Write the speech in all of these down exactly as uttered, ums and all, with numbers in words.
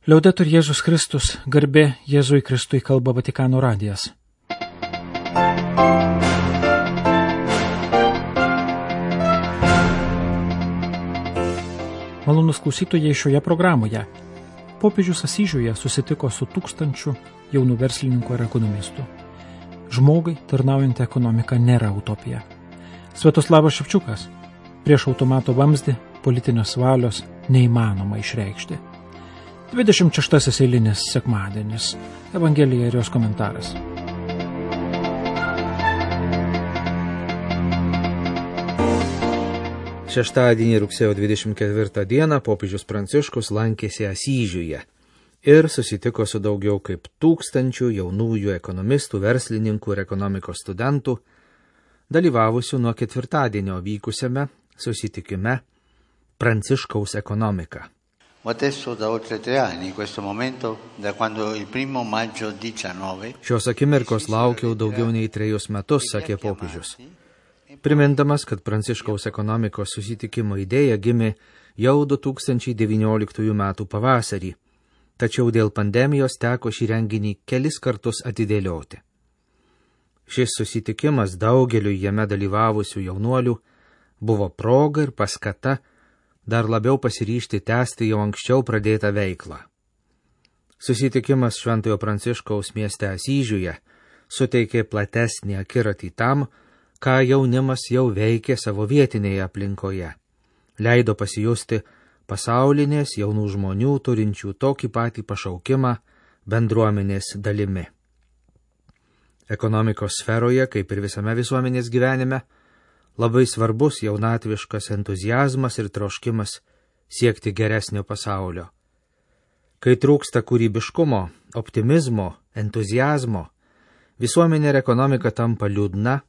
Liaudetur Jėzus Kristus, garbė Jėzui Kristui, kalba Vatikano radijas. Malonus klausytojai, šioje programoje popiežius Asyžiuje susitiko su tūkstančiu jaunų verslininkų ir ekonomistų. Žmogui tarnaujant ekonomika nėra utopija. Sviatoslavas Ševčiukas: prieš automato vamzdį politinės valios neįmanoma išreikšti. dvidešimt šeštasis eilinis sekmadienis. Evangelija ir jos komentaras. Šeštadienį rugsėjo dvidešimt ketvirtą dieną popiežius Pranciškus lankėsi Asyžiuje ir susitiko su daugiau kaip tūkstančių jaunųjų ekonomistų, verslininkų ir ekonomikos studentų, dalyvavusių nuo ketvirtadienio vykusiame susitikime Pranciškaus ekonomika. Adesso da oltre tre anni, in questo momento, da quando il primo maggio diciannove... Šios akimirkos laukiau daugiau nei trejus metus, sakė popiežius, primindamas, kad Pranciškaus ekonomikos susitikimo idėja gimė jau du tūkstančiai devynioliktųjų metų pavasarį, tačiau dėl pandemijos teko šį renginį kelis kartus atidėlioti. Šis susitikimas daugeliu jame dalyvavusių jaunuolių buvo proga ir paskata dar labiau pasiryžti tęsti jau anksčiau pradėtą veiklą. Susitikimas Šventojo Pranciškaus mieste Asyžiuje suteikė platesnį akiratį tam, ką jaunimas jau veikė savo vietinėje aplinkoje. Leido pasijusti pasaulinės jaunų žmonių turinčių tokį patį pašaukimą bendruomenės dalimi. Ekonomikos sferoje, kaip ir visame visuomenės gyvenime, labai svarbus jaunatviškas entuziazmas ir troškimas siekti geresnio pasaulio. Kai trūksta kūrybiškumo, optimizmo, entuziazmo, visuomenė ir ekonomika tampa liūdna,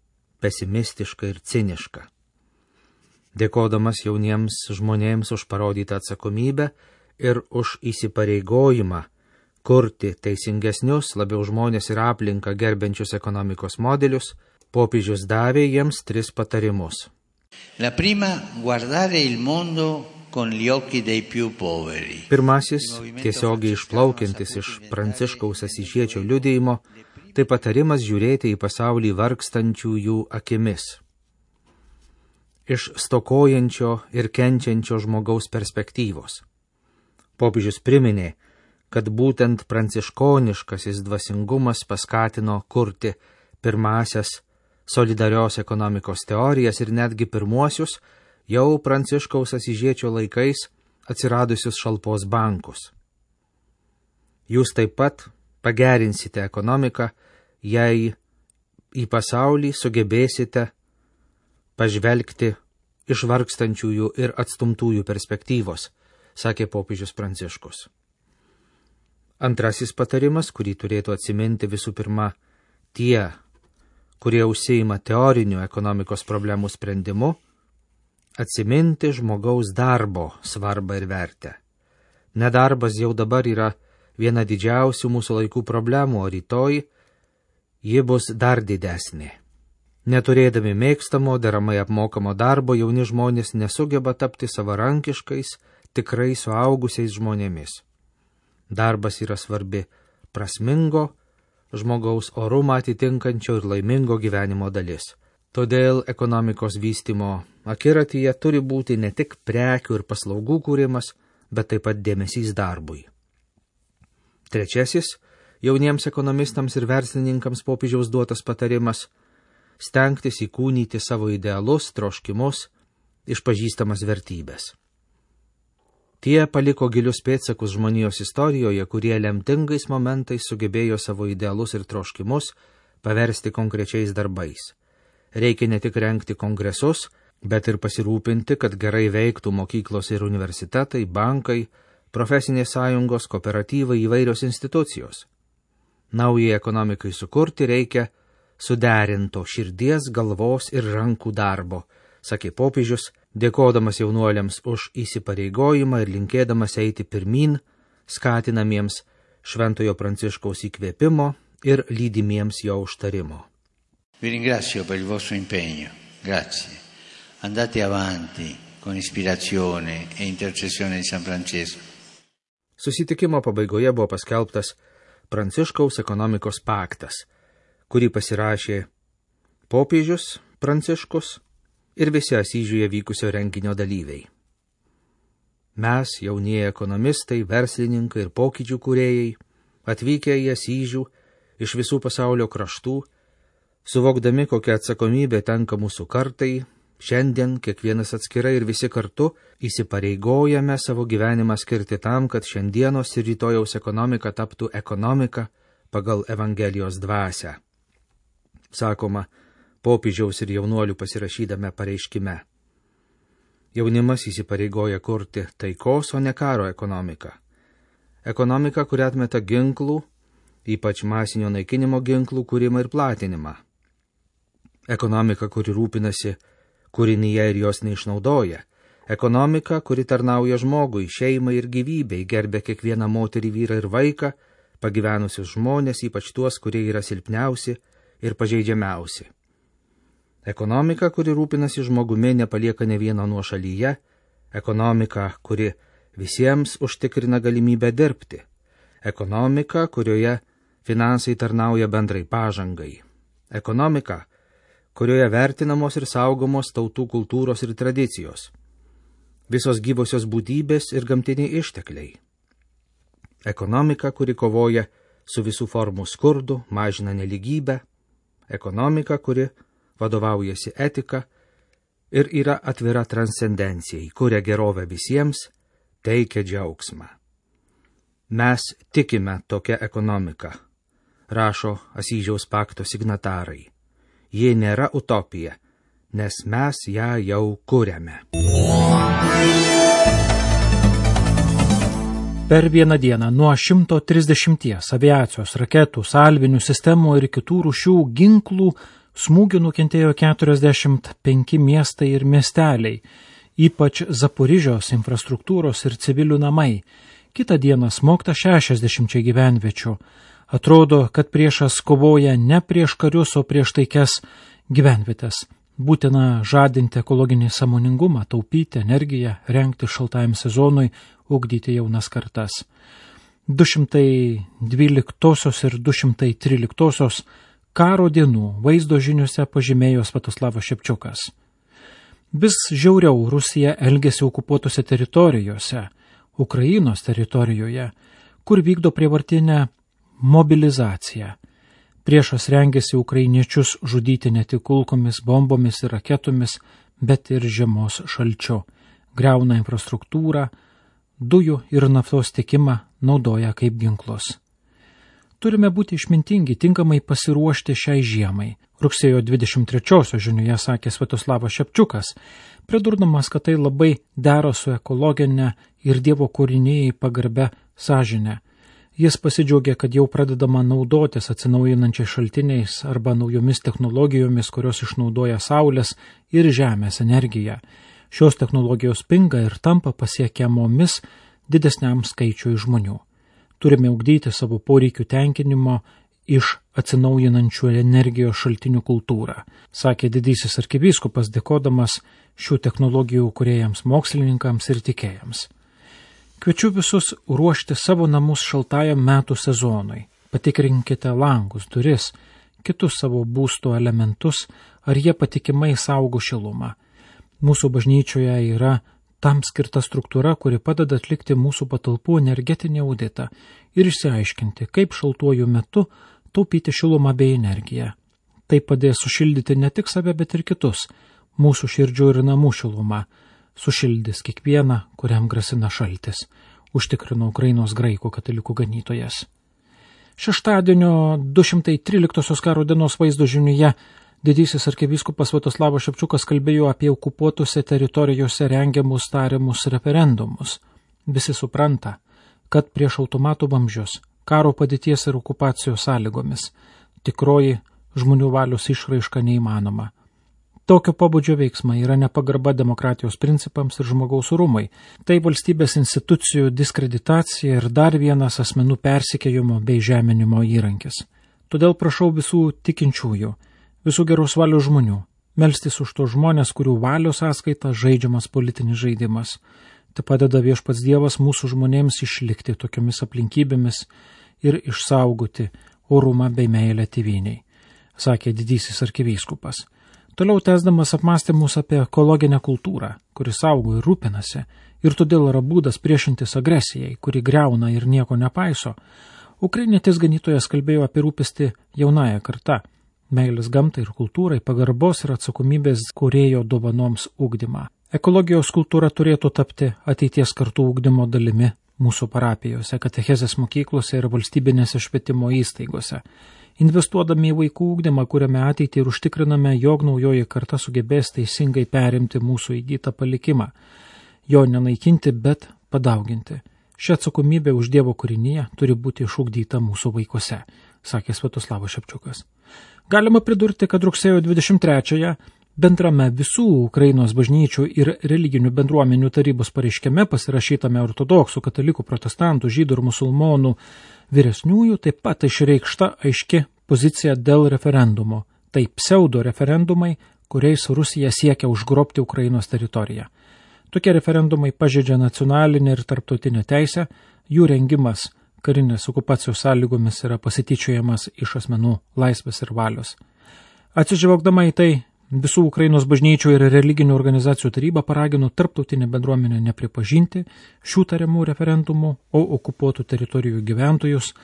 pesimistiška ir ciniška. Dėkodamas jauniems žmonėms už parodytą atsakomybę ir už įsipareigojimą kurti teisingesnius, labiau žmonės ir aplinką gerbiančius ekonomikos modelius, popiežius davė jiems tris patarimus. La prima, guardare il mondo con gli occhi dei più poveri. Pirmasis, tiesiogiai išplaukiantis iš Pranciškaus Asyžiečio liudijimo, tai patarimas žiūrėti į pasaulį vargstančiųjų akimis. Iš stokojančio ir kenčiančio žmogaus perspektyvos. Popiežius priminė, kad būtent pranciškoniškasis dvasingumas paskatino kurti pirmasias solidarios ekonomikos teorijas ir netgi pirmuosius, jau Pranciškaus Asyžiečio laikais atsiradusius šalpos bankus. Jūs taip pat pagerinsite ekonomiką, jei į pasaulį sugebėsite pažvelgti iš vargstančiųjų ir atstumtųjų perspektyvos, sakė popiežius Pranciškus. Antrasis patarimas, kurį turėtų atsiminti visų pirma tie, kurie užsiima teoriniu ekonomikos problemų sprendimu, atsiminti žmogaus darbo svarbą ir vertę. Nedarbas jau dabar yra viena didžiausių mūsų laikų problemų, o rytoj ji bus dar didesnė. Neturėdami mėgstamo, deramai apmokamo darbo, jauni žmonės nesugeba tapti savarankiškais, tikrai suaugusiais žmonėmis. Darbas yra svarbi prasmingo, žmogaus orumą atitinkančio ir laimingo gyvenimo dalis. Todėl ekonomikos vystymo akiratyje turi būti ne tik prekių ir paslaugų kūrimas, bet taip pat dėmesys darbui. Trečiasis, jauniems ekonomistams ir verslininkams popiežiaus duotas patarimas – stengtis įkūnyti savo idealus, troškimus, išpažįstamas vertybės. Tie paliko gilius pėdsakus žmonijos istorijoje, kurie lemtingais momentais sugebėjo savo idealus ir troškimus paversti konkrečiais darbais. Reikia ne tik rengti kongresus, bet ir pasirūpinti, kad gerai veiktų mokyklos ir universitetai, bankai, profesinės sąjungos, kooperatyvai, įvairios institucijos. Naujai ekonomikai sukurti reikia suderinto širdies, galvos ir rankų darbo, sakė popiežius, dėkodamas jaunuoliams už įsipareigojimą ir linkėdamas eiti pirmyn, skatinamiems Šventojo Pranciškaus įkvėpimo ir lydimiems jo užtarimo. Vi ringrazio per il vostro impegno. Grazie. Andate avanti con ispirazione e intercessione di San Francesco. Susitikimo pabaigoje buvo paskelbtas Pranciškaus ekonomikos paktas, kurį pasirašė popiežius Pranciškus ir visi Asyžiuje vykusio renginio dalyviai. Mes, jaunieji ekonomistai, verslininkai ir pokyčių kūrėjai, atvykę į Asyžių iš visų pasaulio kraštų, suvokdami, kokia atsakomybė tenka mūsų kartai, šiandien kiekvienas atskirai ir visi kartu įsipareigojame savo gyvenimą skirti tam, kad šiandienos ir rytojaus ekonomika taptų ekonomika pagal Evangelijos dvasią. Sakoma, popiežiaus ir jaunuolių pasirašydame pareiškime. Jaunimas įsipareigoja kurti taikos, o ne karo ekonomiką. Ekonomika, kuri atmeta ginklų, ypač masinio naikinimo ginklų kūrimą ir platinimą. Ekonomika, kuri rūpinasi kūrinyje ir jos neišnaudoja. Ekonomika, kuri tarnauja žmogui, šeimai ir gyvybei, gerbia kiekvieną moterį, vyrą ir vaiką, pagyvenusius žmonės, ypač tuos, kurie yra silpniausi ir pažeidžiamiausi. Ekonomika, kuri rūpinasi žmogumi, nepalieka ne vieno nuošalyje. Ekonomika, kuri visiems užtikrina galimybę dirbti. Ekonomika, kurioje finansai tarnauja bendrai pažangai. Ekonomika, kurioje vertinamos ir saugomos tautų kultūros ir tradicijos. Visos gyvosios būtybės ir gamtiniai ištekliai. Ekonomika, kuri kovoja su visų formų skurdu, mažina neligybę. Ekonomika, kuri vadovaujasi etika ir yra atvira transcendencijai, kuria gerovę visiems, teikia džiaugsmą. Mes tikime tokią ekonomiką, rašo Asyžiaus pakto signatarai. Ji nėra utopija, nes mes ją jau kuriame. Per vieną dieną nuo šimto trisdešimties aviacijos, raketų, salvinių sistemų ir kitų rūšių ginklų smūgių nukentėjo keturiasdešimt penki miestai ir miesteliai, ypač Zaporižios infrastruktūros ir civilių namai. Kitą dieną smogta šešiasdešimčiai gyvenviečių. Atrodo, kad priešas kovoja ne prieš karius, o prieš taikias gyvenvietės. Būtina žadinti ekologinį sąmoningumą, taupyti energiją, rengti šaltajam sezonui, ugdyti jaunas kartas. du šimtai dvyliktosios ir du šimtai tryliktosios karo dienų vaizdo žiniuose pažymėjo Sviatoslavas Šepčiukas. Vis žiauriau Rusija elgėsi okupuotose teritorijose, Ukrainos teritorijoje, kur vykdo prievartinę mobilizaciją. Priešas rengėsi ukrainiečius žudyti ne tik kulkomis, bombomis ir raketomis, bet ir žiemos šalčiu. Griauna infrastruktūrą, dujų ir naftos tiekimą naudoja kaip ginklus. Turime būti išmintingi, tinkamai pasiruošti šiai žiemai. Rugsėjo dvidešimt trečiosios žiniuje sakė Sviatoslavas Šepčiukas, pridurdamas, kad tai labai dera su ekologinė ir Dievo kūrinijai pagarbia sąžinė. Jis pasidžiaugė, kad jau pradedama naudotis atsinaujinančiais šaltiniais arba naujomis technologijomis, kurios išnaudoja saulės ir žemės energiją. Šios technologijos pinga ir tampa pasiekiamomis didesniam skaičiui žmonių. Turime ugdyti savo poreikių tenkinimo iš atsinaujinančių energijos šaltinių kultūrą, sakė didysis arkivyskupas, dėkodamas šių technologijų kūrėjams, mokslininkams ir tikėjams. Kviečiu visus ruošti savo namus šaltajam metų sezonui. Patikrinkite langus, duris, kitus savo būsto elementus, ar jie patikimai saugo šilumą. Mūsų bažnyčioje yra tam skirta struktūra, kuri padeda atlikti mūsų patalpų energetinį auditą ir išsiaiškinti, kaip šaltuoju metu taupyti šilumą bei energiją. Tai padės sušildyti ne tik save, bet ir kitus, mūsų širdžių ir namų šilumą. Sušildys kiekvieną, kuriam grasina šaltis, užtikrino Ukrainos graikų katalikų ganytojas. Šeštadienio du šimtai tryliktosios karo dienos vaizdo žiniuje didysis arkivyskupas Sviatoslavas Šepčiukas kalbėjo apie okupuotose teritorijose rengiamus tariamus referendumus. Visi supranta, kad prieš automatų vamzdžius, karo padėties ir okupacijos sąlygomis, tikroji žmonių valios išraiška neįmanoma. Tokio pobūdžio veiksmai yra nepagarba demokratijos principams ir žmogaus orumui. Tai valstybės institucijų diskreditacija ir dar vienas asmenų persikėjimo bei žeminimo įrankis. Todėl prašau visų tikinčiųjų, visų geros valios žmonių, melstis už tos žmonės, kurių valios sąskaita žaidžiamas politinis žaidimas. Tai padeda viešpats Dievas mūsų žmonėms išlikti tokiomis aplinkybėmis ir išsaugoti orumą bei meilę tėvynei, sakė didysis arkivyskupas. Toliau tęsdamas apmąstymus apie ekologinę kultūrą, kuri saugo ir rūpinasi, ir todėl yra būdas priešintis agresijai, kuri greuna ir nieko nepaiso, ukrainietis ganytojas kalbėjo apie rūpestį jaunąją kartą, meilės gamtai ir kultūrai, pagarbos ir atsakomybės kūrėjo dovanoms ugdymą. Ekologijos kultūra turėtų tapti ateities kartų ugdymo dalimi mūsų parapijose, katechezės mokyklose ir valstybinėse švietimo įstaigose. Investuodami į vaikų ugdymą, kuriame ateitį ir užtikriname, jog naujoji karta sugebės teisingai perimti mūsų įgytą palikimą, jo nenaikinti, bet padauginti. Ši atsakomybė už Dievo kūrinyje turi būti išugdyta mūsų vaikuose, sakė Sviatoslavas Šepčiukas. Galima pridurti, kad rugsėjo dvidešimt trečiąją bendrame visų Ukrainos bažnyčių ir religinių bendruomenių tarybos pareiškime pasirašytame ortodoksų, katalikų, protestantų, žydų ir musulmonų vyresniųjų taip pat išreikšta aiški pozicija dėl referendumo. Tai pseudo referendumai, kuriais Rusija siekia užgrobti Ukrainos teritoriją. Tokie referendumai pažeidžia nacionalinę ir tarptautinę teisę, jų rengimas karinės okupacijos sąlygomis yra pasityčiojamas iš asmenų laisvės ir valios. Atsižvelgdama į tai, visų Ukrainos bažnyčių ir religinių organizacijų taryba paragino tarptautinę bendruomenę nepripažinti šių tariamų referendumų, o okupuotų teritorijų gyventojus,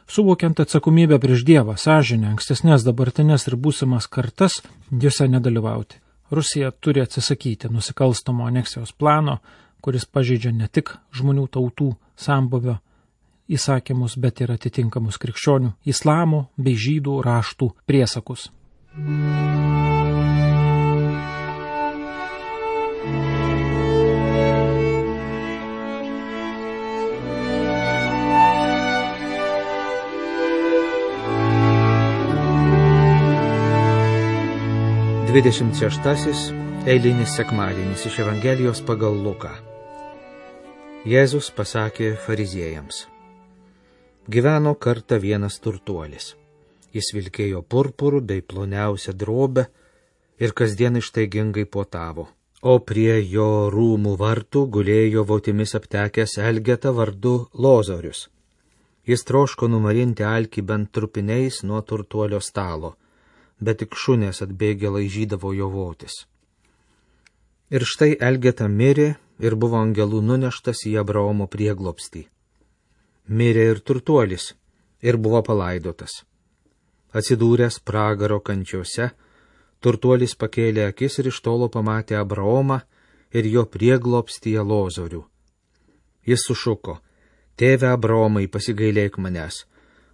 suvokiant atsakomybę prieš Dievą, sąžinę, ankstesnės, dabartinės ir būsimas kartas, juose nedalyvauti. Rusija turi atsisakyti nusikalstamo aneksijos plano, kuris pažeidžia ne tik žmonių tautų sambuvio įsakymus, bet ir atitinkamus krikščionių, islamo bei žydų raštų priesakus. dvidešimt šeštasis eilinis sekmadienis iš Evangelijos pagal Luką. Jėzus pasakė fariziejams: gyveno kartą vienas turtuolis. Jis vilkėjo purpurų bei ploniausią drobę ir kasdien ištaigingai puotavo. O prie jo rūmų vartų gulėjo votimis aptekęs Elgeta vardu Lozorius. Jis troško numarinti alkį bent trupiniais nuo turtuolio stalo, bet tik šunės atbėgę laižydavo jo votis. Ir štai Elgeta mirė ir buvo angelų nuneštas į Abraomo prieglobstį. Mirė ir turtuolis ir buvo palaidotas. Atsidūręs pragaro kančiose, turtuolis pakėlė akis ir iš tolo pamatė Abraomą ir jo prieglobstyje Lozorių. Jis sušuko: tėve Abraomai, pasigailėk manęs,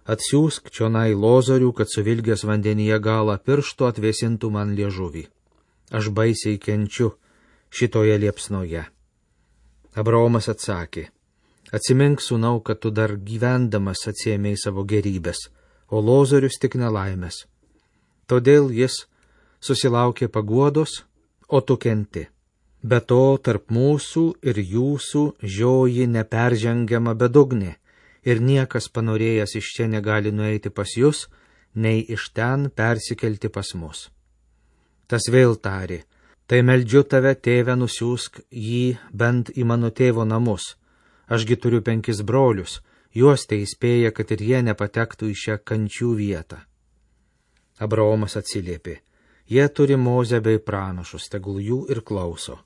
atsiųsk čionai Lozorių, kad suvilgęs vandenyje galą piršto atvėsintų man liežuvį. Aš baisiai kenčiu šitoje liepsnoje. Abraomas atsakė: atsimink, sūnau, kad tu dar gyvendamas atsiėmei savo gerybės, o Lozorius tik nelaimės. Todėl jis susilaukė paguodos, o tu kenti. Be to, tarp mūsų ir jūsų žioji neperžengiama bedugnė, ir niekas panorėjęs iš čia negali nueiti pas jūs, nei iš ten persikelti pas mus. Tas vėl tarė: tai meldžiu tave, tėve, nusiųsk jį bent į mano tėvo namus. Ašgi turiu penkis brolius, juos tai įspėja, kad ir jie nepatektų į šią kančių vietą. Abraomas atsiliepė: jie turi Mozę bei pranašus, tegul jų ir klauso.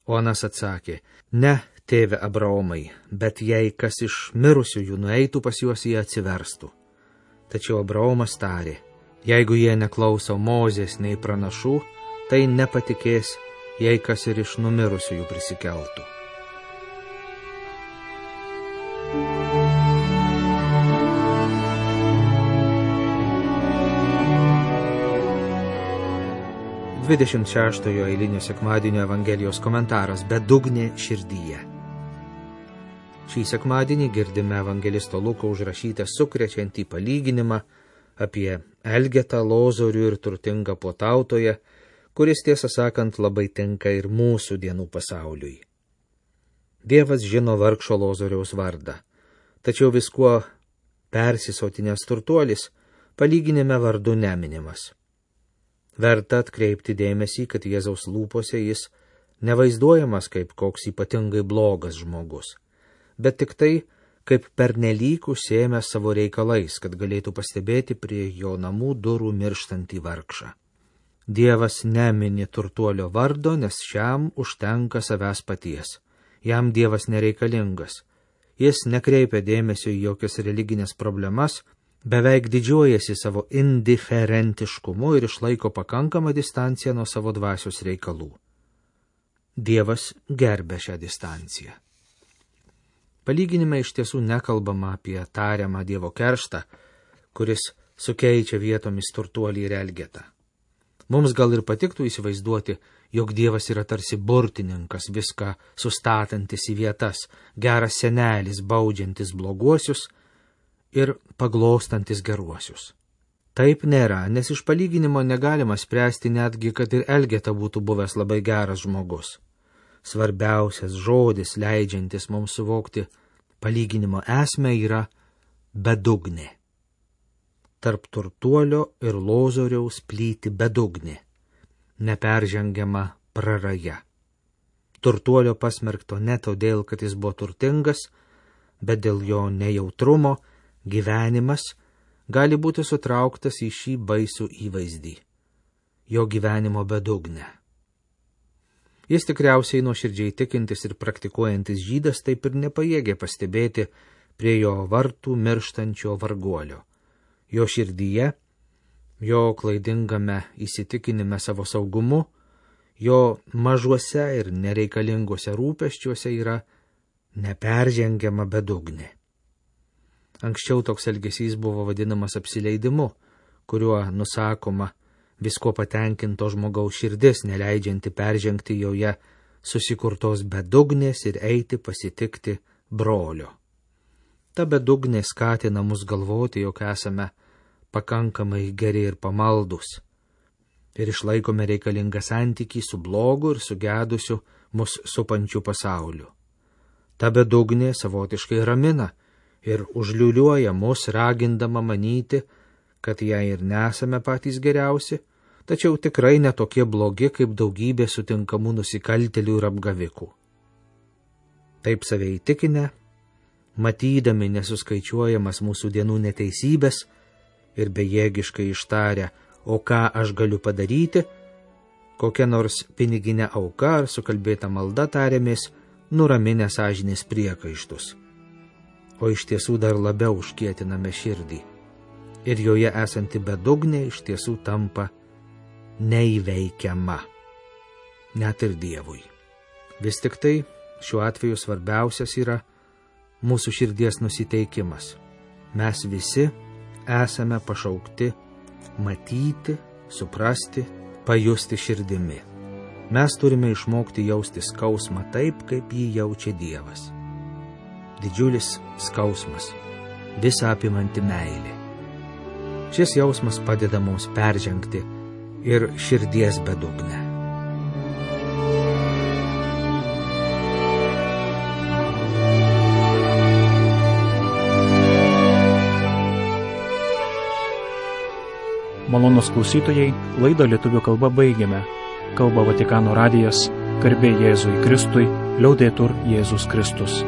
O anas atsakė: ne, tėve Abraomai, bet jei kas iš mirusiųjų nueitų pas juos, jie atsiverstų. Tačiau Abraomas tarė: jeigu jie neklauso Mozės nei pranašų, tai nepatikės, jei kas ir iš numirusiųjų prisikeltų. dvidešimt šeštojo eilinio sekmadienio Evangelijos komentaras: bedugnė širdyje. Šį sekmadienį girdime evangelisto Luko užrašytą sukrečiantį palyginimą apie Elgetą, Lozorių ir turtingą puotautoją, kuris, tiesą sakant, labai tinka ir mūsų dienų pasauliui. Dievas žino vargšo Lozoriaus vardą, tačiau viskuo persisotinęs turtuolis palyginime vardu neminimas. Verta atkreipti dėmesį, kad Jėzaus lūpose jis nevaizduojamas kaip koks ypatingai blogas žmogus, bet tik tai, kaip pernelyg užsiėmęs savo reikalais, kad galėtų pastebėti prie jo namų durų mirštantį vargšą. Dievas nemini turtuolio vardo, nes šiam užtenka savęs paties. Jam Dievas nereikalingas. Jis nekreipia dėmesio į jokias religinės problemas, beveik didžiuojasi savo indiferentiškumu ir išlaiko pakankamą distanciją nuo savo dvasios reikalų. Dievas gerbia šią distanciją. Palyginime iš tiesų nekalbama apie tariamą Dievo kerštą, kuris sukeičia vietomis turtuolį ir elgetą. Mums gal ir patiktų įsivaizduoti, jog Dievas yra tarsi burtininkas, viską sustatantis į vietas, geras senelis, baudžiantis bloguosius ir paglostantis geruosius. Taip nėra, nes iš palyginimo negalima spręsti netgi, kad ir elgeta būtų buvęs labai geras žmogus. Svarbiausias žodis, leidžiantis mums suvokti palyginimo esmę, yra bedugnė. Tarp turtuolio ir lozoriaus plyti bedugnė, neperžengiama praraja. Turtuolio pasmerkto ne todėl, kad jis buvo turtingas, bet dėl jo nejautrumo gyvenimas gali būti sutrauktas į šį baisų įvaizdį, jo gyvenimo bedugnę. Jis tikriausiai nuoširdžiai tikintis ir praktikuojantis žydas taip ir nepajėgė pastebėti prie jo vartų mirštančio varguolio. Jo širdyje, jo klaidingame įsitikinime savo saugumu, jo mažuose ir nereikalinguose rūpesčiuose yra neperžengiama bedugnė. Anksčiau toks elgesys buvo vadinamas apsileidimu, kuriuo nusakoma visko patenkinto žmogaus širdis, neleidžianti peržengti joje susikurtos bedugnės ir eiti pasitikti brolio. Ta bedugnė skatina mus galvoti, jog esame pakankamai geri ir pamaldus ir išlaikome reikalingą santykį su blogu ir sugedusiu mus supančiu pasauliu. Ta bedugnė savotiškai ramina ir užliuliuoja mus, ragindama manyti, kad jei ir nesame patys geriausi, tačiau tikrai netokie blogi kaip daugybė sutinkamų nusikaltėlių ir apgavikų. Taip save įtikinę, matydami nesuskaičiuojamas mūsų dienų neteisybės ir bejėgiškai ištarę, o ką aš galiu padaryti, kokia nors piniginė auka ar sukalbėta malda tariamės, nuraminę sąžinės priekaištus. O iš tiesų dar labiau užkietiname širdį. Ir joje esanti bedugnė iš tiesų tampa neįveikiama. Net ir Dievui. Vis tik tai šiuo atveju svarbiausias yra mūsų širdies nusiteikimas. Mes visi esame pašaukti matyti, suprasti, pajusti širdimi. Mes turime išmokti jausti skausmą taip, kaip jį jaučia Dievas. Didžiulis skausmas, visą apimanti meilė. Šis jausmas padeda mums peržengti ir širdies bedugnę. Malonūs klausytojai, laidą lietuvių kalba baigiame. Kalba Vatikano radijas, garbė Jėzui Kristui, liaudetur Jėzus Kristus.